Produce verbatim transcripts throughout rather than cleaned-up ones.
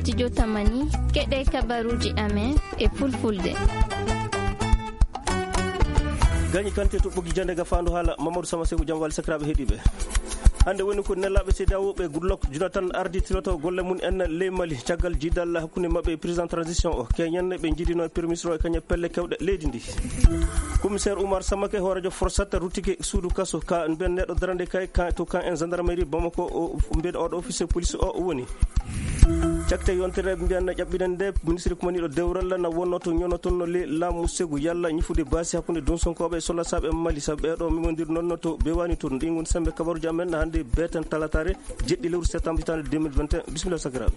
Studio Tamani, keɗe kabaruji amen e fulfulde. Gañi kante to ɓoggi jande ga fandu hala Mamadou Sama Seku, jam wali sakiraɓe heɗiɓe. Hande woni ko nelaɓe C D A O ɓe Goodluck Jonathan ardi tiloto golle mum en ley Mali caggal jidal hakkunde maɓɓe e président transition o. Keñen ɓe jidino e premier ministre o e kañe pelle kewɗe leydi ndi. Commissaire Oumar Samake hoorejo Forsat ruttike suudu kaso ka mbiyen neɗɗo darande kay ka to kan en gendarmerie Bamako o mbiyen oɗo officier police o woni. Cakte yontere mbiyan na ƴaɓɓiɗen nde ministre kumaniɗo dewral na wonno to ñono toon no le laamu segu yalla ñifude baasi hakkunde dunsonkooɓe e sollasaɓe Mali sabu ɓeɗo memondir noon no to bewani toon ɗin woni sembe kabaruji amen na hannde beten talatare jeɗɗi lewru septembre hitande deux mille vingt et un. Bisimilla sakiraɓe.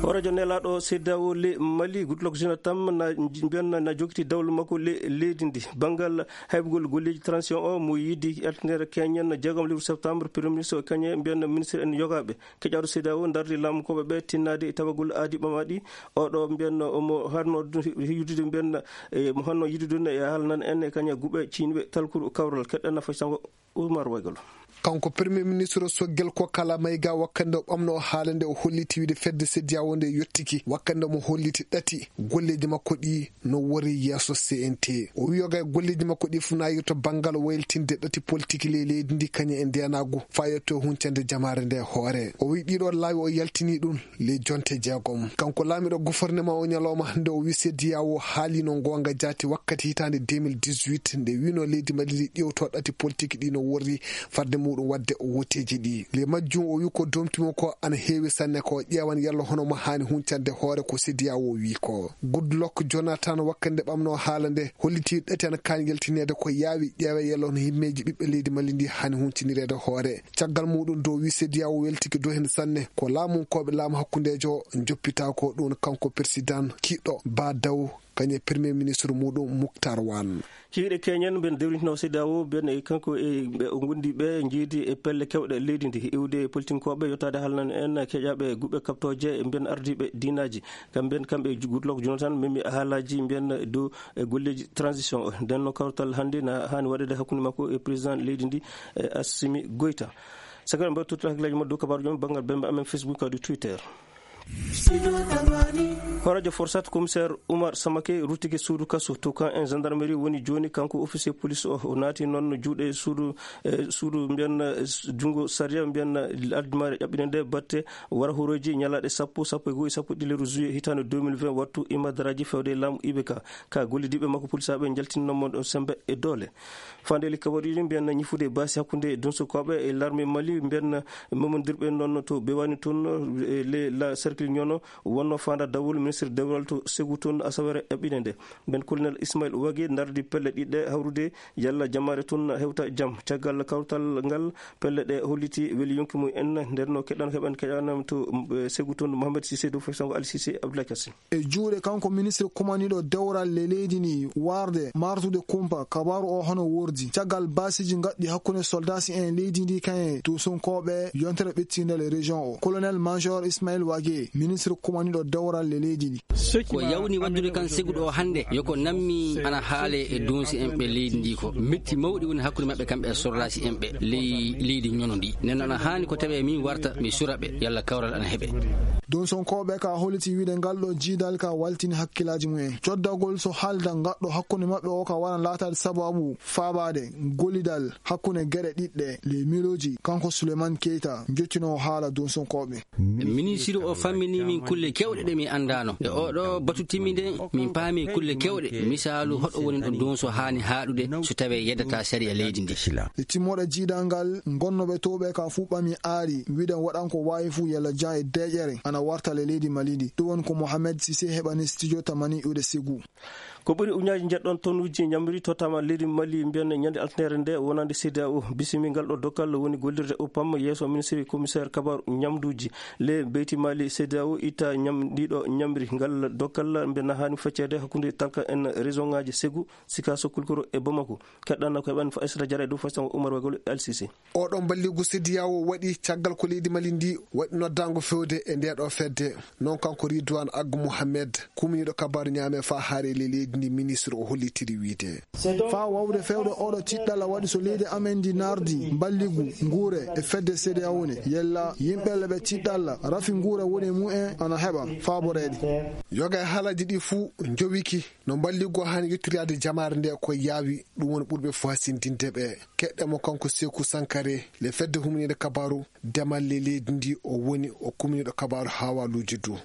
Hoorejo nelaɗo C D A O le Mali Goodluck Jonathan na mbiyan na jokiti dawlu makko le leydi ndi banngal haybugol golleji transition o mo yiidi alternere keñen jeegom lewru septembre premier ministre o kañe mbiyan ministre en yogaɓe. Keƴaɗo C D A O dardi laamukoɓe ɓe tinnade e tawagol aadi ɓamaɗi. Oɗo mbiyanno omo hanno yidude mbiyanna e mo hanno yidude e haalnan en e kaña guɓe ciñɓe talkuru kawral keɗɗanna fay sango Oumar Waygol. Kanko premier ministre soggel ko kala mayga wakkande o ɓamno o haala nde o holliti wiide fedde C D A O nde yottiki wakkande omo holliti ɗati golleji makko ɗi no wori yeeso C N T. O wi yoga e golleji makko ɗi fof nayi to banngal wayltinde ɗati politique ley leydi ndi kañum e ndenagu fayetto huncande jamaare nde hoore. O wi ɗiɗo laawi o yaltini ɗum ley jonte jeegom. Kanko laamiɗo gouvernement o ñalawma hannde o wi C D A O haalino ngonga jaati wakkati hitande deux mille dix-huit nde wino leydi Mali ndi ƴewto ɗati politique ɗi no worri fadde muɗum wadde o woteji ɗi. Le majjum o wi ko domtimo ko ana heewi sanne ko ƴeewan yalla hono mo haani huncande hoore ko C D A O wi ko. Goodluck Jonathan wakkande ɓamno haala nde holliti ɗati ana kaani yaltineede ko yaawi ƴeewe yalla hono himmeeji ɓiɓɓe leydi Mali ndi haani huncinireede hoore. Caggal muɗum dow wi C D A O weltiki dow heen sanne ko laamunkooɓe laamu hakkundeejo o joppita ko ɗum kanko président kiɗɗo Ba Daw kañum e premier ministre muɗum Mouctar Wan. Hiiɗe keñen mben dewrintino C D A O mbiyen e kanko e ɓe o gondi ɓe jiidi e pelle kewɗe leydi ndi iwde e politinkooɓe yottaade haalnan en keƴaɓe guɓe kaptooje mbiyen ardiiɓe diinaaji. Kam mbiyen kamɓe Goodluck Jonathan memi haalaji mbiyen dow e golleji transition o. Nden no kawtal hannde na haani waɗede hakkunde makko e président leydi ndi e Assimi Goïta. Sakira mbaɗa tuttal hakkillaji ma dow kabaruji on banngal bembe amen Facebook kadi Twitter. Hooreejo Forsat, commissaire Oumar Samake, ruttike suudu kaso to kan en gendarmerie woni jooni. Kanko officier police o, o naati noon juuɗe suudu, e suudu mbiyan, e junngo sariya mbiyan, addimaare ƴaɓɓinde nde batte wara horoji ñalaaɗe sappo, sappo e go'o, sappo e ɗiɗi lewru juillet hitaande deux mille vingt, wattu imadaraaji fewde e laamu I B K. Ka gollidiiɓe makko polisaaɓe njaltinno mo ɗon sembe e doole. Faandeeli kabaruuji mbiyan ñifude baasi hakkunde dunsukooɓe e larme Mali mbiyan memondirɓe noon to Bewani toon e le la cercle ñono wonno faanda dawol ministre dewral to Segu toon asawere ƴaɓɓinde nde. Mben colonel Ismail Wage ndardi pelle ɗiɗɗe hawrude yalla jamaare toon hewta jam. Caggal kawtal ngal pelle ɗe holliti weli yonki mum en nder no keɗan heɓen keɗanam to, eh, Segu toon Mohamed Cissé dow fay sango Ali Cissé Abdoulaye Kassé. E juuɗe kanko ministre kumaniɗo dewral le leydi ndi warde martude kumpa kabaru o hono wordi caggal basiji gaɗɗi hakkunde soldasi en leydi ndi kañe to sunkooɓe yontere ɓettinde le région o. Colonel major Ismail Wage, ministre kumaniɗo dewral le leydi ndi. Ko yawni waddude kan Segu ɗo hannde, yo ko nammi ana haale e donsi en ɓe leydi ndi ko. Metti mawɗi woni hakkunde maɓɓe kamɓe e soldasi en ɓe ley leydi ñono ndi. Nden ana haani ko tawe min warta mi sura ɓe, yalla kawral ana heɓe. Donsonkooɓe ka holiti wiide ngal ɗo jiidal ka waltini hakkilaaji mumen. Coddagol so haalda ngaɗɗo hakkunde maɓɓe o ka wara laataade sababu faabaade gollidal hakkunde geɗe ɗiɗɗe ley miilooji, kanko Souleymane Keita, jottinoowo haala donsonkooɓe. Minisiri o fammini min kulle kewɗe ɗe min anndaano. E oɗo batu timminde, min paami kulle kewɗe. Misaalu, hoɗo woni ɗo donso haani haaɗude so tawee yeddata sariya leydi ndi. E timmoɗe jiidal ngal, ngonnooɓe towɓe ka fuu ɓami aari, wiɗen waɗan ko waawi fuu yalla jan e deeƴere ana warta le leydi Mali ndi. Ɗum woni ko Mohamed Cissé heɓani studio Tamani iwde Segu. Ko ɓuri ujunnaaji njeɗɗon tonnuuji ñamri tottama leydi Mali mbiyan ñande alternere nde wonande C D A O. Bisimi ngal ɗo dokkal woni gollirde O P A M yeeso ministre commissaire kabaru ñamduuji. Le beyti Mali C D A O itta ñam-, ɗiɗo ñamri ngal dokkal mbe nahaani feccede hakkunde talka en région ŋaaji Segu, Sikaso, Kulkoro e Bamako. Keɗɗanna ko heɓan Aissata Diarra e dow Faysal Oumar Wagol e L C C. Oɗon balligu C D A O waɗi caggal ko leydi Mali ndi waɗi noddaango fewde e nde ɗo fedde. Non kanko Ridwan Aggu Mohamed, kumniiɗo kabaru ñaame fa haare ley leydi Ndi ministre o hollitiri wiide, faa waawde feewde oɗo tiɗɗalla waɗi so leydi amen ndi nardi mballigu nguure e fedde C D A O ne, yella yimɓe le ɓe tiɗɗalla rafi nguure woni mumen ana heɓa faaboreede. Yoga e haalaaji ɗi fuu njowiki no mballigu haani yettoraade jamaare nde ko yaawi, ɗum woni ɓurɓe fof hasindinde ɓe. Keɗɗe mo kanko Seeku Sankare, le fedde humniinde kabaaru demal le leydi ndi o woni o kumniiɗo kabaaru haawaaluuji du.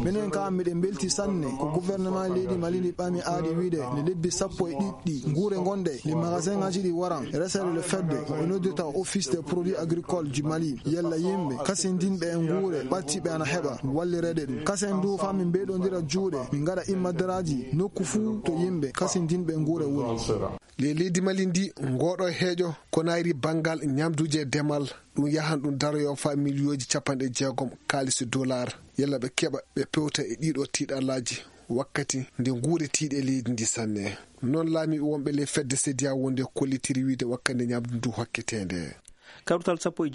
Minen kam miɗen mbelti sanne ko gouvernement leydi Mali ndi ɓami aadi wiide nde lebbi sappo e ɗiɗi ɗi nguure ngonɗe nde magasin ngaji ɗi waran resede le fedde ko ɓe noddirta office des produits agricoles du Mali, yalla yimɓe kasindinɓe e nguure ɓattiɓe ana heɓa wallireede ɗum. Kasen du faa min mbeyɗondira juuɗe min ngaɗa immadaraaji nokku fuu to yimɓe kasindinɓe e nguure woni. Le leydi Mali ndi ngooɗo heeƴo ko nayri banngal ñamduuji e demal, ɗum yahan ɗum daroyo faa miliyooji capanɗe jeegom kaalisi dollar. Yalla ɓe keɓa ɓe pewta e ɗiɗo tiiɗallaaji wakkati nde nguure tiiɗe leydi ndi sanne. Noon laamiiɓe wonɓe le fedde C D A O wonde kollitiri wiide wakkati nde ñamdu ndu hokketeende. Kawrital sappo e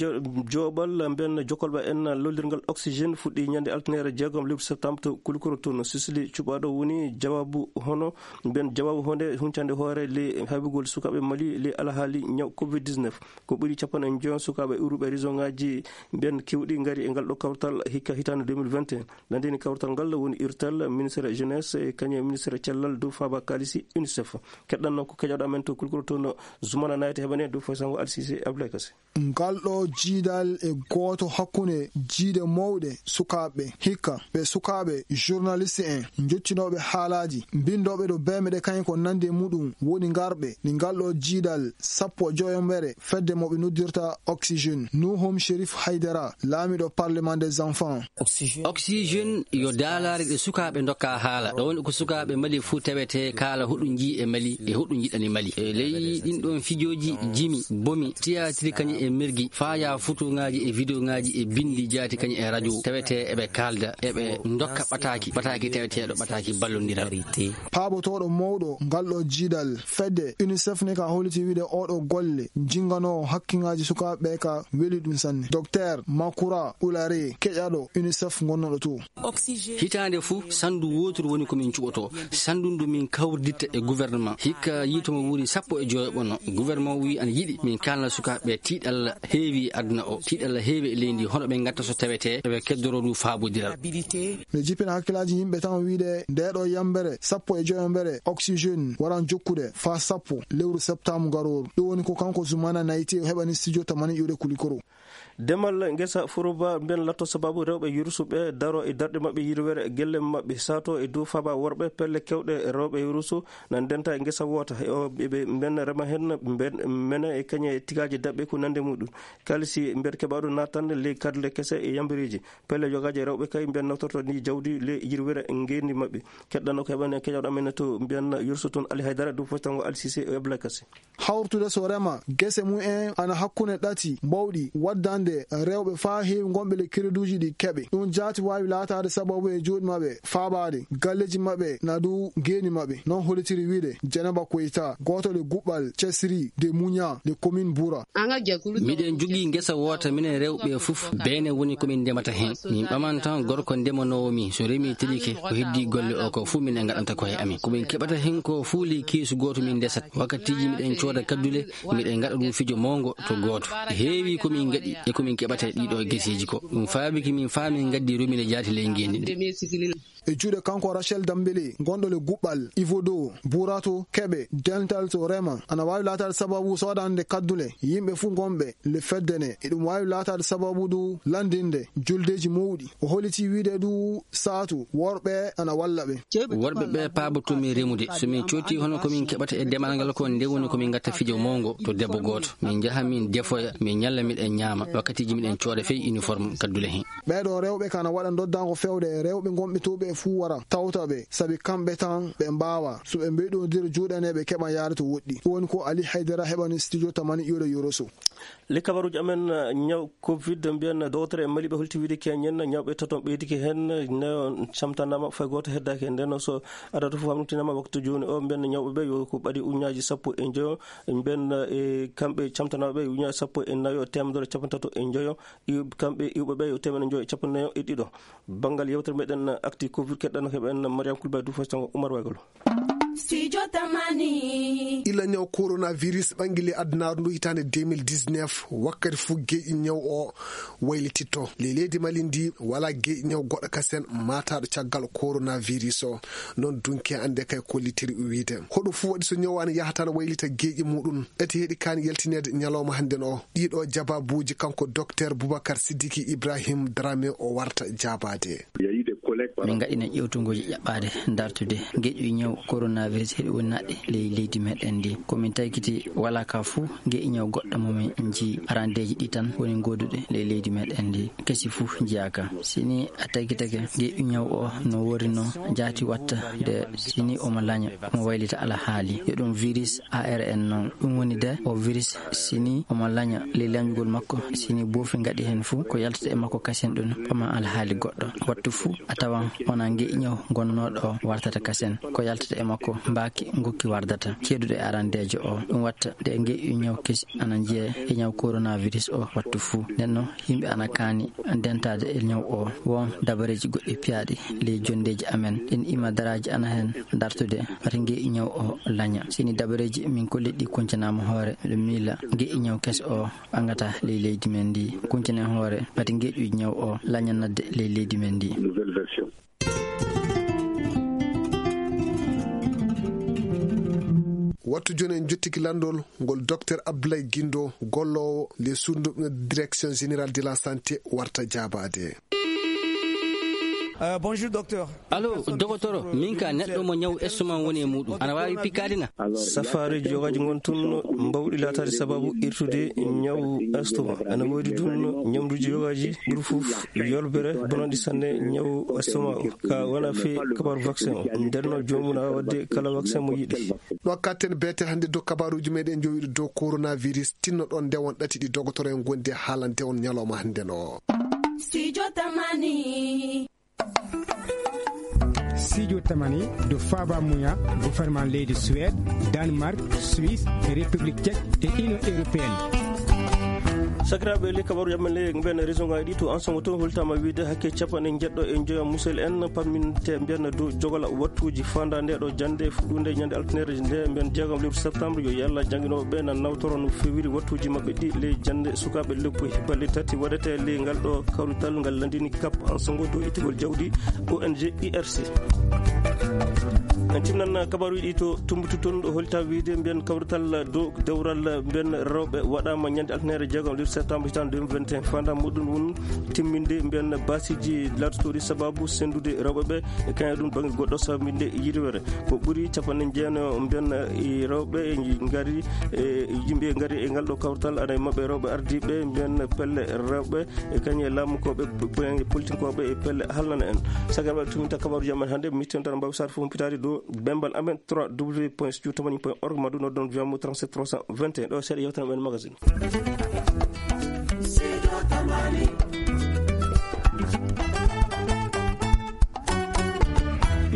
joobal mbiyen jokkolɓe en lollirngal oxygène fuɗɗi ñande altine jeegom lewru septembre to Kulikoro toon Sicili. Cuɓaaɗo woni jawaabu hono mbiyen jawaabu honde huncande hoore le haybugol sukaaɓe Mali le alhaali ñaw covid dix-neuf. Ko ɓuri capanɗe njoyo sukaaɓe iwruɓe région ngaji mbiyen kewɗi ngari e ngal ɗo kawrital hikka hitaande deux mille vingt et un. Landini kawrital ngal woni irtal ministre jeunesse e kañum e ministre cellal dow faaba kaalisi UNICEF. Keɗɗanno ko keƴoɗo amen to Kulikoro toon Zumana Nayte heɓane dow foy sango Alsise Abdoulaye Kassé. Ngal ɗo jiidal e gooto hakkunde jiide mawɗe sukaaɓe hikka ɓe sukaaɓe journaliste en njottinooɓe haalaaji mbinndooɓe ɗo beemɗe kañum ko nande muɗum woni ngarɓe ni ngal ɗo jiidal sappo e joyombere fedde mo ɓe noddirta oxygène. Nuhum Sherif Haydara, laamiiɗo parlement des enfants. Oxygène yo daalaare ɗe sukaaɓe ndokka haala. Ɗo woni ko sukaaɓe Mali fuu tawete kaala hoɗum njii e Mali e hoɗum njiɗani Mali. E ley ɗin ɗon fijooji jimi, bomi, tiyaatiri kañum e mergi, faya fotoŋaaji e videoŋaaji e binndi jaati kañum e radio tawete eɓe kaalda, eɓe ndokka ɓataaki, ɓataaki taweteeɗo, ɓataaki ballondiral. Paabotooɗo mawɗo ngal ɗo jiidal fedde UNICEF ne ka holliti wiide oɗo golle jinganoowo hakkiŋaaji sukaaɓe ka weli ɗum sanne. Docteur Makura Ulare, keƴaɗo UNICEF gonnoɗo to. Hitaande fuu, sanndu wooturu woni ko min cuɓotoo. Sanndu ndu min kawriditta e gouvernement. Hikka yiito mo wuuri sappo e joyo ɓono. Gouvernement wii ana yiɗi min kaalna sukaaɓe tiiɗalla heewi aduna o. Tiiɗalla heewi e leydi hono ɓe ngatta so tawetee eɓe keddoro ndu faabodiral. Ɓe jippina hakkilaaji yimɓe tan wiide nde ɗo yambere sappo e joyo mbere oxygène waran jokkude faa sappo lewru septembre garooru. Ɗum woni ko kanko Zumana Nayti o heɓani studio tamani iwde Kulikoro. Demal ngesa furuba mbiyen latto sababu rewɓe yursuɓe daro e darɗe maɓɓe yirwere gelle maɓɓe sato e dow faaba worɓe pelle kewɗe rewɓe yursu na ndenta e ngesa woota e o ɓe mbiyen rema hen mbiyen mene e kañe e tigaaji daɓɓe ko nande muɗum. Kalisi mbiyen keɓaɗo natande ley kadle kese e yambireeji pelle yogaaji e rewɓe kay mbiyen nawtorto ni jawdi ley yirwere ngeendi maɓɓe. Keɗɗano ko heɓane keƴaɗo amen to mbiyen yursu toon Ali Haydara dow fotango Alsise e Abdoulaye Kassé. Hawrutude so rema gese mum en ana hakkunde ɗati mbawɗi waddande rewɓe faa heewi ngonɓe le crédituuji ɗi keɓe. Ɗum jaati waawi laataade sababu e juuɗe maɓɓe faabaade galleeji maɓɓe na dow geeni maɓɓe. Noon hollitiri wiide Jenaba Koyta, gooto le guɓɓal Cesri de Muña de commune Bura. Miɗen jogii ngesa woota minen rewɓe fof beene woni ko min ndemata heen. Min ɓaman tan gorko ndemanoowo mi so remi tilike ko heddii golle o ko fof minen ngaɗanta ko he amin. Ko min keɓata heen ko fof ley keesu gooto min ndesat. Wakkatiiji miɗen cooda kaddule miɗen ngaɗa ɗum fijo mawngo to gooto. Heewi ko min ngaɗi e ko min keɓata e ɗiɗo geseeji ko ɗum faabiki min faa min ngaddi romine jaati ley ngeendi ndi. E juuɗe kanko Rachel Dambele gonɗo le guɓɓal Ivodo Burato keɓe dental to rema ana waawi laataade sababu soodande kaddule yimɓe fuu ngonɓe le fedde ne. Eɗum waawi laataade sababu du lanndinde juldeeji mawɗi. O holliti wiide du saatu worɓe ana walla ɓe. Worɓe ɓe paabotomi remude. So min cooti hono ko min keɓata e demal ngal ko nde woni ko min ngatta fijo mawngo to debbo gooto. Min njaha min defoya, min ñalla miɗen ñaama. Wakkatiiji miɗen cooda fey uniforme kaddule heen. Ɓeeɗo rewɓe kana waɗa ndoddaango fewde e rewɓe ngonɓe to ɓe fuu wara tawta ɓe sabi kamɓe tan ɓe mbaawa so ɓe mbeyɗondira juuɗe ne ɓe keɓa yaade to woɗɗi. Ɗum woni ko Ali Haydara heɓani studio tamani iwde Yoroso. Le kabaruuji amen ñaw covid mbiyen dowtere e Mali ɓe holti wiide keñen ñawɓe taton ɓeydike heen nayo camtanaama fay gooto heddaaki heen. Nden so adata fof hamnutinaama waktu jooni o mbiyen ñawɓe ɓe yo ko ɓaɗi uñaaji sappo e njoyo mbiyen e kamɓe camtanaaɓe uñaaji sappo e nayo teemedere capantato e njoyo. Iw- kamɓe iwɓe ɓe yo teemeɗe njoyo e capanɗe nayo e ɗiɗo. Banngal yewtere meɗen actu covid keɗɗano heɓen Mariam Kulba du fo tango Oumar Waygolo. Studio Tamani. Ila ñaw coronavirus ɓanngili adunaaru ndu hitaande deux mille dix-neuf, wakkati fuu geeƴi ñaw o waylititto. Ley leydi Mali ndi, walaa geeƴi ñaw goɗɗo kasen maataaɗo caggal coronavirus o. Noon dunki annde kay kollitiri wiyde. Hoɗum fuu waɗi so ñaw ana yahata ana waylita geeƴi muɗum. Eti heɗi kaani yaltineede ñalawma hannden o. Ɗiɗo jabaabuuji kanko Docteur Boubacar Sidiki Ibrahim Dramé o warta jaabaade. Min ngaɗina ƴeewtugooji ƴaɓɓaade dartude geeƴi ñaw coronavirus heɗi wonnaɗe ley leydi meɗen ndi. Ko min taykiti walaa ka fuu geeƴi ñaw goɗɗo mo min nji arandeeji ɗi tan woni gooduɗe ley leydi meɗen ndi. Kesi fuu njiyaaka. Si ni a taykitake geeƴi ñaw o no worino jaati watta de si ni omo laña, omo waylita alhaali. Yo ɗum virus A R N noon. Ɗum woni de o virus si ni omo laña ley lañugol makko, si ni boofi ngaɗi heen fuu ko yaltata e makko kasen ɗum ɓama alhaali goɗɗo. Wattu fuu a tawan wonaa ngeeƴi ñaw gonnooɗo o wartata kasen. Ko yaltata e makko mbaaki ngokki wardata. Ceeduɗo e arandeejo o. Ɗum watta de ngeeƴi ñaw kesi ana njeya e ñaw coronavirus o wattu fuu. Nden noon yimɓe ana kaani dentaade e ñaw o. Won dabareeji goɗɗi piyaaɗi ley jonndeeji amen. Ɗin ima daraaji ana heen dartude wata ngeeƴi ñaw o laña. Si ni dabareeji min kolliɗi ɗi kuncanaama hoore, miɗo miila ngeeƴi ñaw keso o ɓangata ley leydi men ndi. Kuncane hoore wata ngeeƴi ñaw o laña nadde ley leydi men ndi. Wattu jooni en njottiki lanndol ngol Docteur Abdoulaye Guindo, golloowo les sournes direction générale de la santé warta jaabaade. Euh, bonjour, docteur. Allo, dogotoro, min ka neɗɗo mo ñaw estomac woni e muɗum. Ana waawi pikaade na? Safaareeji yogaaji ngon tun mbawɗi laataade sababu irtude ñaw estomac. Ana woodi tun ñamduuji yogaaji ɓuri fof yolbere bonanɗi sanne ñaw estomac o. Ka wona fii kabaru vaccin o. Nden no joomum na waɗde kala vaccin mo yiɗi. Ɗo katten beetel hannde dow kabaruuji meɗen jowiɗo dow coronavirus. Tinno ɗon nde won ɗati ɗi dogotoro en gondi e haalande on ñalawma hannde no. Studio Tamani. Studio Tamani do Faba Muya, gouvernement leydi Suède, Danemark, Suisse, République Tchèque et Union Européenne. Sakiraaɓe, le kabaru yamen le mben région ngaji ɗi to ensemble to holtama wiide hakke capanɗe jeɗɗo e joyo musel en pamminte mbiyan dow jogola wattuji fanda nde ɗo jande fuɗɗunde ñande altinere nde mbiyan jeegom lewru septembre. Yo yalla janginoɓe ɓe nan nawtoro no fewiri wattuji maɓɓe ɗi ley jande sukaɓe leppo balle tati waɗete ley ngal ɗo kawrital ngal landini cap ensemble dow ittugol jawdi O N G I R C. En timnan kabaruji ɗi to Tumbutu toon ɗo holta wiide mbiyan kawrital dow dewral mbiyan rewɓe waɗama ñande altinere jeegom lewru septembre hitande deux mille vingt et un. Fanda muɗum won timminde mbiyan basiji lattotoɗi sababu sendude rewɓe ɓe e kañum ɗum bangge goɗɗo sababu minde yirwere. Ko ɓuri capanɗe jeeno mbiyan e rewɓe e ngari e yimɓe ngari e ngal ɗo kawtal ana e maɓɓe rewɓe ardiɓe mbiyan pelle rewɓe e kañum e laamukoɓe politinkoɓe e pelle halnana en. Sagarɓe tuminta kabaru jaman hannde mi tewtata mbawi sar fof humpitade dow bembal amen trois w point studio tamani point org ma ɗum noddon viyamo trente-sept trois cent vingt et un ɗo seeɗa yewtan men magazine.